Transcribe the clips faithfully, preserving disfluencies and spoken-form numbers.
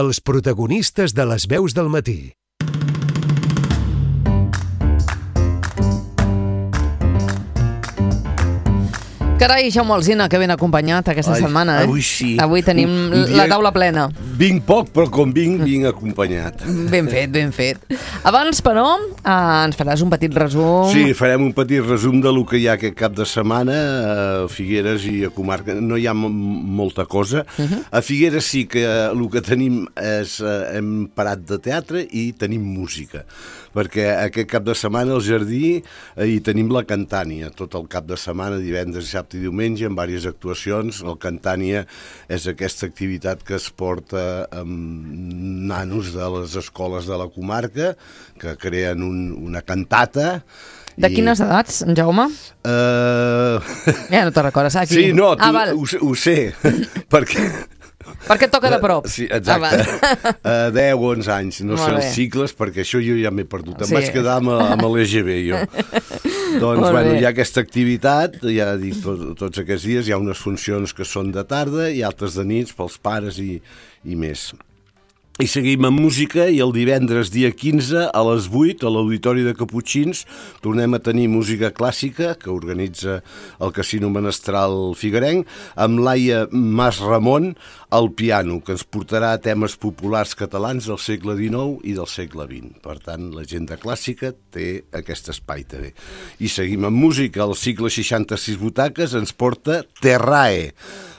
Els protagonistes de les veus del matí. Carai, Jaume Alsina, que ben acompanyat aquesta Ai, setmana, eh? Avui sí. Avui tenim Un- un dia- la taula plena. Vinc poc, però com vinc, vinc acompanyat. Ben fet, ben fet. Abans, però, eh, ens faràs un petit resum. Sí, farem un petit resum de lo que hi ha aquest cap de setmana a Figueres i a comarca. No hi ha m- molta cosa. Uh -huh. A Figueres sí que el que tenim és... Eh, hem parat de teatre i tenim música. Perquè aquest cap de setmana al Jardí eh, hi tenim la Cantània, tot el cap de setmana, divendres, dissabte i diumenge, amb diverses actuacions. El Cantània és aquesta activitat que es porta amb nanos de les escoles de la comarca, que creen un, una cantata. De i... quines edats, en Jaume? Uh... Ja no te recordes, aquí. Sí, no, tu, ah, val. ho, sé- ho sé, perquè... Perquè et toca de prop. Sí, exacte. Ah, uh, deu o onze anys, no Molt sé bé. els cicles, perquè això jo ja m'he perdut. Em Sí. vaig quedar amb, amb l'E G B, jo. Doncs, Molt bueno, bé. hi ha aquesta activitat, ja dic, tot, tots aquests dies hi ha unes funcions que són de tarda i altres de nits pels pares i, i més. I seguim amb música i el divendres dia quinze a les vuit a l'Auditori de Caputxins tornem a tenir música clàssica que organitza el Casino Menestral Figuerenc amb Laia Mas Ramon al piano, que ens portarà temes populars catalans del segle dinou i del segle vint. Per tant, l'agenda clàssica té aquest espai també. I seguim amb música. El cicle seixanta-sis butaques ens porta Terrae,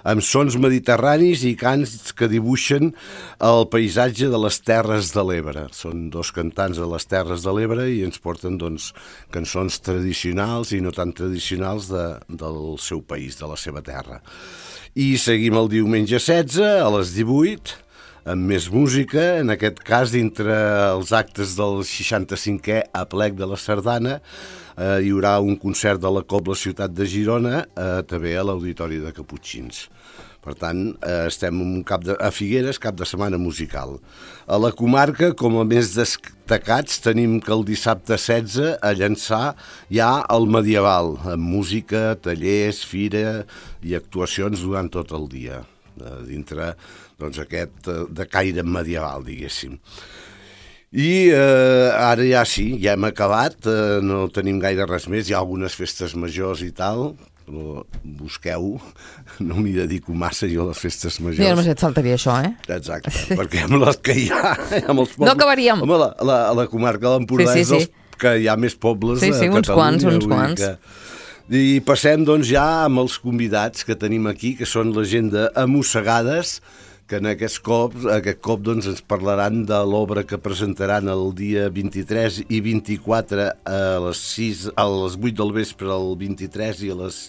amb sons mediterranis i cants que dibuixen el paisatge de les Terres de l'Ebre. Són dos cantants de les Terres de l'Ebre i ens porten doncs, cançons tradicionals i no tan tradicionals de, del seu país, de la seva terra. I seguim el diumenge setze a les divuit amb més música, en aquest cas dintre els actes del seixanta-cinquè aplec de la Sardana. Eh, hi haurà un concert de la Cobla Ciutat de Girona eh, també a l'Auditori de Caputxins. Per tant, eh, estem un cap de, a Figueres, cap de setmana musical. A la comarca, com a més destacats, tenim que el dissabte setze a Llançà hi ha el Medieval, amb música, tallers, fira i actuacions durant tot el dia, eh, dintre doncs, aquest eh, de caire medieval, diguéssim. I eh, ara ja sí, ja hem acabat, eh, no tenim gaire res més, hi ha algunes festes majors i tal, però busqueu, no m'hi dedico massa jo a les festes majors. Ja només et faltaria això, eh? Exacte, perquè amb les que hi ha... Amb els pobles, No acabaríem. Home, la, la, la comarca de l'Empordà Sí, sí, és dels sí. que hi ha més pobles Sí, sí, a uns Catalunya. quants, uns vull dir quants. Que... I passem doncs ja amb els convidats que tenim aquí, que són la gent d'Amossegades, que en aquest cop, aquest cop doncs, ens parlaran de l'obra que presentaran el dia vint-i-tres i vint-i-quatre a les, sis, a les vuit del vespre el vint-i-tres i a les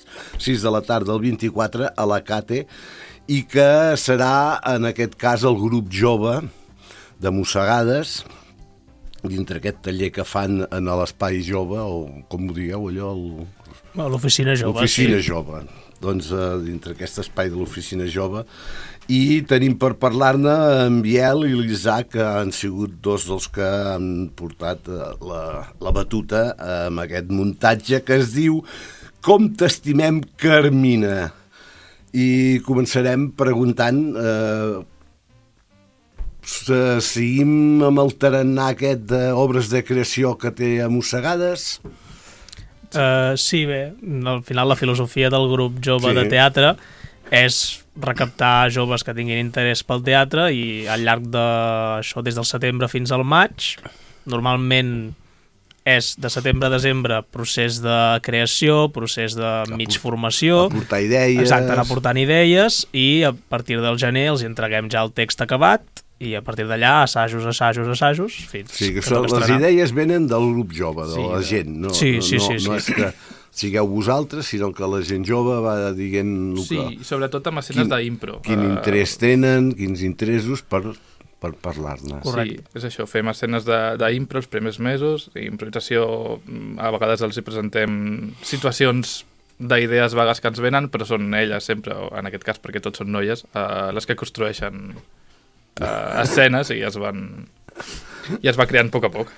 sis de la tarda el vint-i-quatre a la Cate, i que serà en aquest cas el grup jove de Mossegades, dintre aquest taller que fan en l'Espai Jove, o com ho digueu allò, el... l'Oficina Jove. L'Oficina sí. Jove. Doncs eh, dintre aquest espai de l'Oficina Jove. I tenim per parlar-ne en Biel i l'Isaac, que han sigut dos dels que han portat eh, la, la batuta amb aquest muntatge que es diu Com t'estimem, Carmina. I començarem preguntant... Eh, seguim amb el tarannà aquest d'obres de creació que té Amossegades? Uh, sí, bé, al final la filosofia del grup jove Sí. de teatre és recaptar joves que tinguin interès pel teatre i al llarg d'això, des del setembre fins al maig, normalment és de setembre a desembre procés de creació, procés de mig formació, Aportar idees... exacte, anar aportant idees, i a partir del gener els entreguem ja el text acabat i a partir d'allà assajos, assajos, assajos fins Sí, que que són, toca les estrenar. idees venen del grup jove, de Sí, la de- gent. No, sí, no, sí, no, sí, sí. no és que sigueu vosaltres, sinó que la gent jove va dient el Sí, que, sobretot amb escenes Quin- d'impro. quin Eh, interès tenen, quins interessos per, per parlar-ne. Correcte. Sí, és això, fem escenes de- d'impro els primers mesos, i improvisació, mm, a vegades els hi presentem situacions d'idees vagues que ens venen, però són elles sempre, o en aquest cas perquè tots són noies, eh, les que construeixen eh, escenes i es van i es va creant a poc a poc.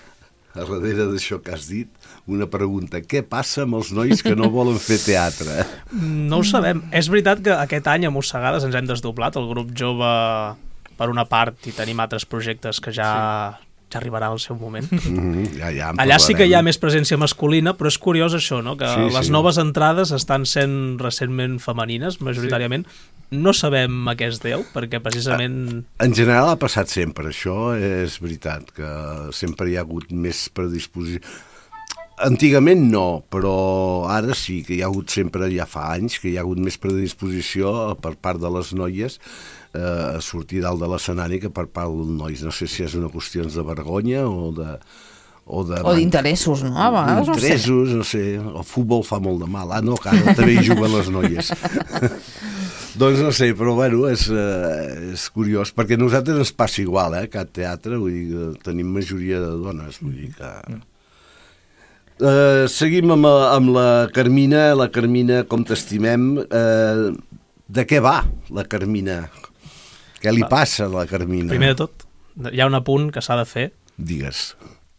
A darrere d'això que has dit, una pregunta. Què passa amb els nois que no volen fer teatre? No ho sabem. És veritat que aquest any a Mossegades ens hem desdoblat, el grup jove per una part, i tenim altres projectes que ja... Sí. ja arribarà al seu moment. Mm-hmm, ja, ja Allà sí que hi ha més presència masculina, però és curiós això, no? Que sí, les sí. noves entrades estan sent recentment femenines, majoritàriament. Sí. No sabem a què es deu, perquè precisament... En general ha passat sempre, això és veritat, que sempre hi ha hagut més predisposició. Antigament no, però ara sí, que hi ha hagut sempre, ja fa anys, que hi ha hagut més predisposició per part de les noies a sortir dalt de l'escenari que per part dels nois. No sé si és una qüestió de vergonya o de... O d'interessos, no? A vegades, interessos, no sé. El futbol fa molt de mal. Ah, no, que ara també hi juguen les noies. Doncs no sé, però bueno, és, eh, és curiós, perquè a nosaltres ens passa igual, eh, Cat Teatre, vull dir, tenim majoria de dones, vull dir que... Uh, seguim amb, amb la Carmina. La Carmina, com t'estimem, uh, de què va la Carmina? Què li passa a la Carmina? Primer de tot, hi ha un apunt que s'ha de fer. Digues.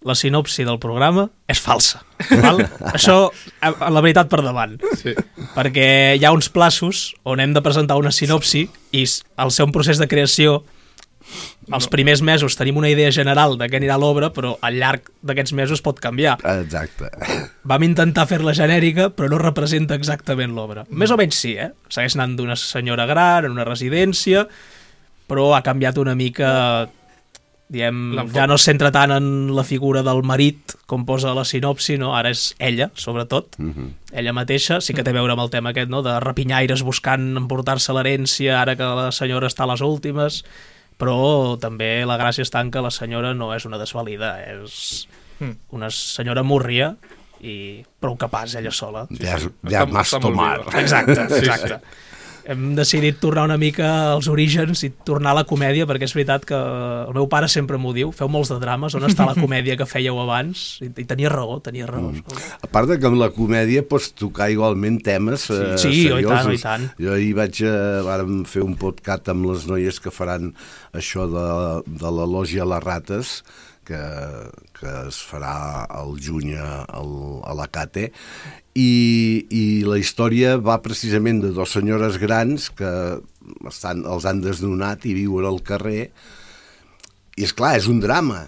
La sinopsi del programa és falsa. Val? Això, la veritat per davant. Sí. Perquè hi ha uns plaços on hem de presentar una sinopsi i al ser un procés de creació, els no. primers mesos tenim una idea general de què anirà l'obra, però al llarg d'aquests mesos pot canviar. Exacte. Vam intentar fer-la genèrica, però no representa exactament l'obra. Més o menys sí, eh? Segueix anant d'una senyora gran, en una residència, però ha canviat una mica... Diem, ja no es centra tant en la figura del marit, com posa la sinopsi, no? Ara és ella, sobretot. Uh-huh. Ella mateixa, sí que té a veure amb el tema aquest, no? De rapinyaires buscant emportar-se l'herència, ara que la senyora està a les últimes... però també la gràcia està en que la senyora no és una desvalida, és una senyora múrria i prou capaç ella sola. Ja, ja m'has tomat. Exacte, exacte. Sí, sí. Hem decidit tornar una mica als orígens i tornar a la comèdia, perquè és veritat que el meu pare sempre m'ho diu, feu molts de drames, on està la comèdia que fèieu abans? I, i tenia raó, tenia raó. Mm. A part de que amb la comèdia pots tocar igualment temes eh, sí, sí, seriosos. Sí, oi tant, oi tant. Jo ahir vaig, eh, vàrem fer un podcast amb les noies que faran això de, de la lògia a les rates, que, que es farà al juny a, a la Cate, i, i la història va precisament de dues senyores grans que estan, els han desnonat i viuen al carrer, i és clar, és un drama,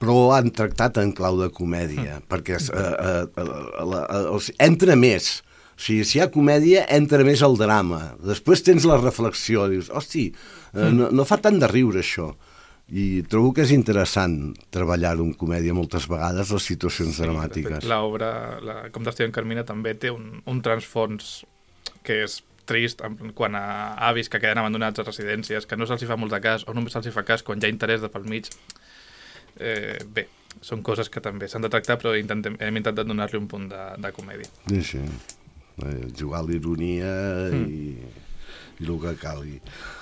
però han tractat en clau de comèdia, mm. perquè eh, eh, eh, eh, entra més. O sigui, si hi ha comèdia, entra més el drama. Després tens la reflexió, dius, hosti, eh, no, no fa tant de riure això. I trobo que és interessant treballar-ho en comèdia moltes vegades, les situacions sí, dramàtiques. L'obra, la, com t'estic en Carmina, també té un, un transfons que és trist quan a avis que queden abandonats a residències, que no se'ls fa molt de cas, o només se'ls fa cas quan hi ha interès de pel mig. Eh, bé, són coses que també s'han de tractar, però intentem, hem intentat donar-li un punt de, de comèdia. Sí, sí. Eh, jugar a l'ironia mm. i, i el que calgui.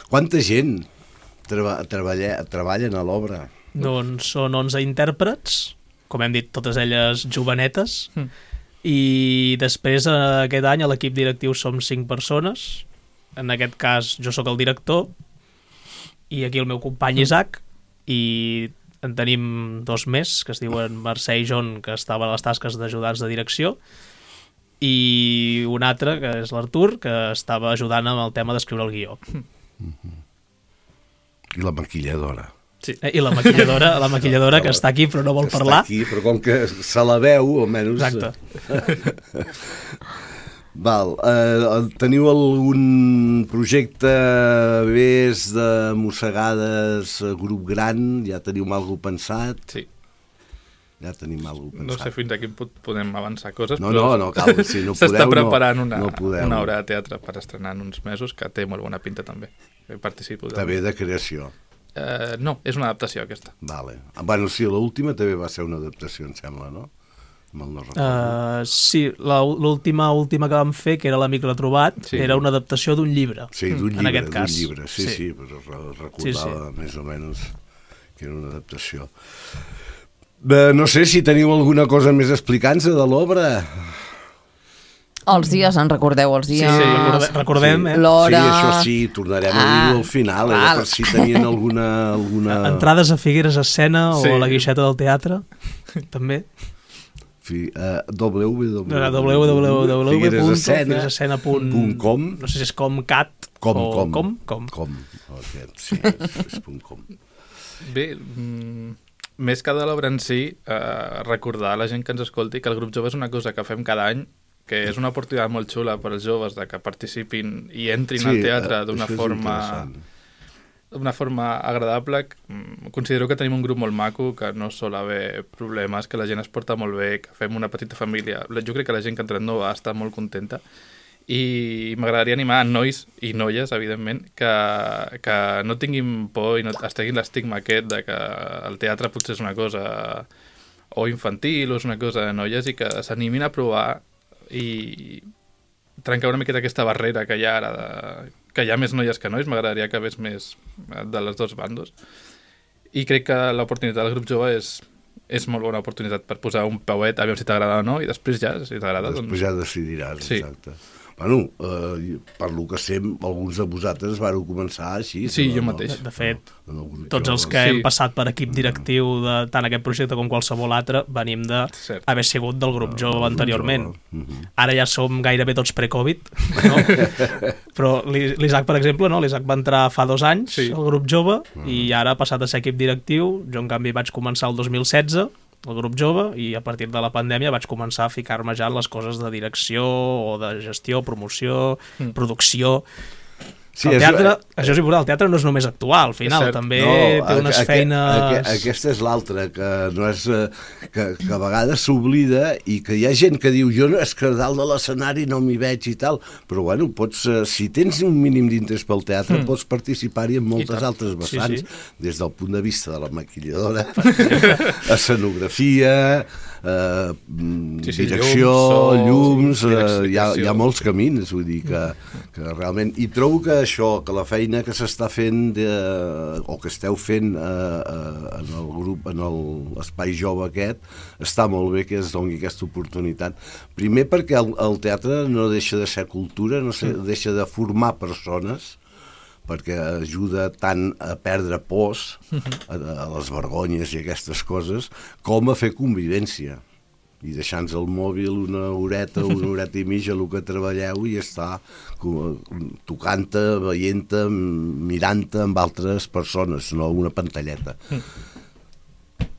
Quanta gent Treba, treballa, treballen a l'obra? Doncs són onze intèrprets, com hem dit, totes elles jovenetes, mm. i després aquest any a l'equip directiu som cinc persones, en aquest cas jo sóc el director, i aquí el meu company Isaac, i en tenim dos més, que es diuen Mercè i John, que estaven a les tasques d'ajudants de direcció, i un altre, que és l'Artur, que estava ajudant amb el tema d'escriure el guió. Mm-hmm. I la maquilladora. Sí, i la maquilladora, la maquilladora que està aquí però no vol està parlar. Està aquí, però com que se la veu, almenys... Exacte. Val, eh, teniu algun projecte més de mossegades, grup gran? Ja teniu alguna pensat? Sí. Ja tenim alguna pensat. No sé fins a quin punt podem avançar coses, no, però... No, no, cal, si no podeu, s'està preparant no, una, no podeu. una obra de teatre per estrenar en uns mesos, que té molt bona pinta també. Participo també de creació. Uh, no, és una adaptació aquesta. Vale. Bueno, sí, l'última també va ser una adaptació, em sembla, no? Mal no recordo. Uh, sí, l'última última que vam fer, que era l'Amic Retrobat, sí. Era una adaptació d'un llibre. Sí, d'un llibre, en aquest cas. d'un llibre, sí, sí, sí, però recordava sí, sí. més o menys que era una adaptació. Uh, no sé si teniu alguna cosa més explicant-se de l'obra. Els dies, en recordeu els dies? Sí, sí, recordem, recordem sí. eh? L'hora... Sí, això sí, tornarem ah, a dir-ho al final, eh, per si tenien alguna, alguna... Entrades a Figueres Escena sí. O a la Guixeta del Teatre, també. fi, uh, www www punt figueresescena figueresesena punt com. No sé si és comcat com, o com, com. Com. com. Okay, sí, és, és punt com. Bé, mm, més que de l'obra en si, eh, recordar a la gent que ens escolti que el grup jove és una cosa que fem cada any, que és una oportunitat molt xula per als joves de que participin i entrin Sí, al teatre eh, d'una això és forma interessant. d'una forma agradable. Considero que tenim un grup molt maco, que no sol haver problemes, que la gent es porta molt bé, que fem una petita família. Jo crec que la gent que ha entrat nova està molt contenta i m'agradaria animar a nois i noies, evidentment, que, que no tinguin por i no es treguin l'estigma aquest de que el teatre potser és una cosa o infantil o és una cosa de noies i que s'animin a provar i trencar una miqueta aquesta barrera que hi ha ara de que hi ha més noies que nois, m'agradaria que hagués més de les dos bandos. I crec que l'oportunitat del grup jove és, és molt bona oportunitat per posar un pauet, a veure si t'agrada o no, i després ja, si t'agrada... Després doncs... ja decidiràs, Sí. exacte. Bueno, eh, per lo que sé, alguns de vosaltres vareu començar així. Sí, no, jo no, mateix. De fet, en el grup tots jove. els que Sí. hem passat per equip directiu de tant aquest projecte com qualsevol altre venim de Cert. haver sigut del grup jove anteriorment. Mhm. Ara ja som gairebé tots pre-Covid, no? Però l'I- l'Isaac, per exemple, no? l'Isaac va entrar fa dos anys Sí. al grup jove i ara ha passat a ser equip directiu. Jo, en canvi, vaig començar el dos mil setze al grup jove i a partir de la pandèmia vaig començar a ficar-me ja en les coses de direcció o de gestió, promoció, Mm. producció... Sí, el és- teatre, això és important, el teatre no és només actuar, al final, cert. també No, té unes aqu- feines... aqu- Aquesta és l'altra, que no és eh, que, que a vegades s'oblida i que hi ha gent que diu jo no, és que a dalt de l'escenari no m'hi veig i tal, però bueno, pots, eh, si tens un mínim d'interès pel teatre, Mm. pots participar-hi en moltes tant. altres Sí, vessants, sí. des del punt de vista de la maquilladora, escenografia, eh, mm, Sí, sí, direcció, llums, so, llums, sí, eh, hi, ha, hi ha direcció. molts camins, vull dir que, que realment... I trobo que això, que la feina que s'està fent de, o que esteu fent eh, eh, en el grup, en el- l'espai jove aquest, està molt bé que es doni aquesta oportunitat. Primer perquè el, el teatre no deixa de ser cultura, no se, deixa de formar persones, perquè ajuda tant a perdre pors, a, a les vergonyes i aquestes coses, com a fer convivència. I deixant-nos el mòbil una horeta, una horeta i mitja, el que treballeu, i està tocant-te, veient-te, mirant-te amb altres persones, no una pantalleta.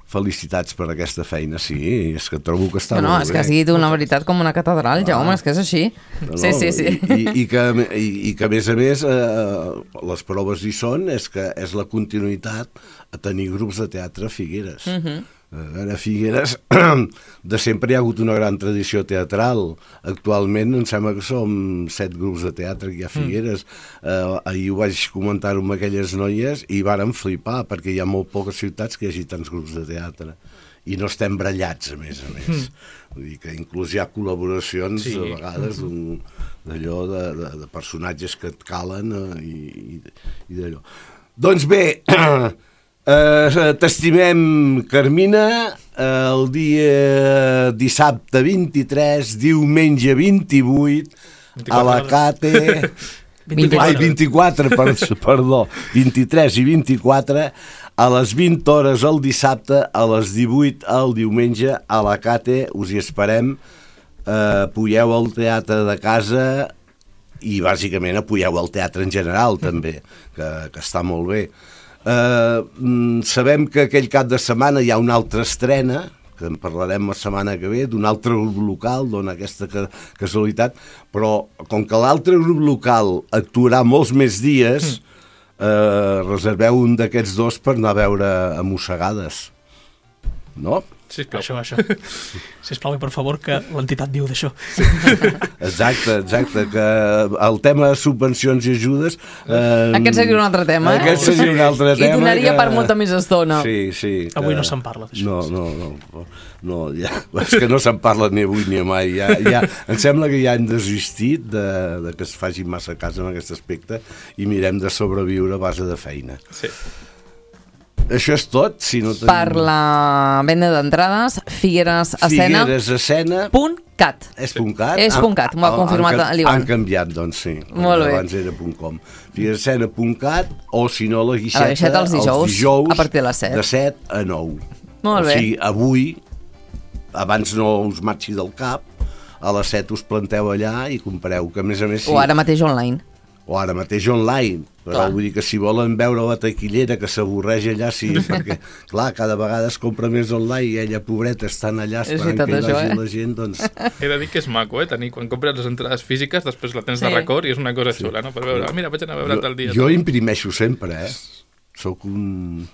Felicitats per aquesta feina, sí, és que trobo que està No, no, molt és bé. que has dit una veritat com una catedral, Jaume, és que és així. No, Sí, sí, sí. I, i, que, i, i que a més a més eh, les proves hi són, és que és la continuïtat a tenir grups de teatre a Figueres. Uh -huh. A Figueres de sempre hi ha hagut una gran tradició teatral. Actualment em sembla que som set grups de teatre que hi ha a Figueres. Mm. Eh, ahir ho vaig comentar amb aquelles noies i varen flipar perquè hi ha molt poques ciutats que hi hagi tants grups de teatre. I no estem brallats, a més a més. Mm. Vull dir que inclús hi ha col·laboracions, sí, a vegades, d'un- d'allò de, de, de personatges que et calen eh, i, i, i d'allò. Doncs bé, eh, t'estimem, Carmina, eh, el dia dissabte vint-i-tres, diumenge vint-i-vuit, a la Cate... vint-i-quatre. Ai, vint-i-quatre, per, perdó, vint-i-tres i vint-i-quatre, a les vint hores el dissabte, a les divuit el diumenge, a la Cate, us hi esperem, eh, apoyeu el teatre de casa i bàsicament apoyeu el teatre en general també, que, que està molt bé. Eh, mm, sabem que aquell cap de setmana hi ha una altra estrena, que en parlarem la setmana que ve, d'un altre grup local, dona aquesta ca casualitat, però com que l'altre grup local actuarà molts més dies, eh, reserveu un d'aquests dos per anar a veure a Mossegades. No? Sisplau. Això, això. Sisplau, i per favor, que l'entitat diu d'això. Exacte, exacte, que el tema de subvencions i ajudes... Eh, Aquest seria un altre tema, eh? Aquest seria un altre tema. I donaria que... per molta més estona. Sí, sí. Que... Avui no se'n parla d'això. No, no, no. no ja... És que no se'n parla ni avui ni mai. Ja, ja... Em sembla que ja hem desistit de, de que es faci massa cas en aquest aspecte i mirem de sobreviure a base de feina. Sí. Això és tot, si no tenim... Per la venda d'entrades, figueresescena punt cat. És punt cat? És punt cat, m'ho ha confirmat l'Ivan. Han canviat, doncs sí. Molt bé. Abans era punt com. figueresesena punt cat o, si no, la guixeta, A la guixeta els dijous, els dijous a partir de les set. de set a nou. Molt o bé. sigui, avui, abans no us marxi del cap, a les set us planteu allà i compreu, que a més a més... Sí, O ara mateix online. o ara mateix online, però Clar. vull dir que si volen veure la taquillera que s'avorreix allà, sí, perquè, clar, cada vegada es compra més online i ella, pobreta, estan allà És esperant veritat, que hi això, vagi eh? la gent, doncs... He de dir que és maco, eh? Tenir, quan compres les entrades físiques, després la tens Sí. de record i és una cosa xula, no? Per veure, ah, mira, vaig anar a veure Jo, tal dia. jo imprimeixo sempre, eh? Soc un...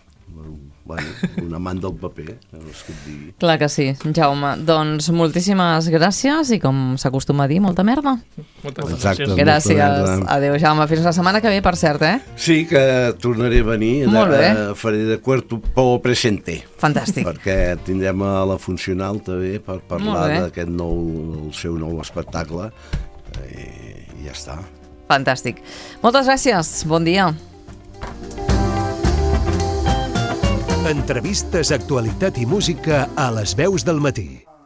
Bueno, un amant del paper, no és que et digui. Clar que sí, Jaume. Doncs moltíssimes gràcies i, com s'acostuma a dir, molta merda. Moltes Exacte. gràcies. molta Gràcies. merda. Adéu, Jaume. Fins la setmana que ve, per cert, eh? Sí, que tornaré a venir. Molt bé. De, faré de cuerpo presente. Fantàstic. Perquè tindrem a la Funcional també per Molt parlar bé. d'aquest nou, el seu nou espectacle. I, i ja està. Fantàstic. Moltes gràcies. Bon dia. Entrevistes, actualitat i música a les veus del matí.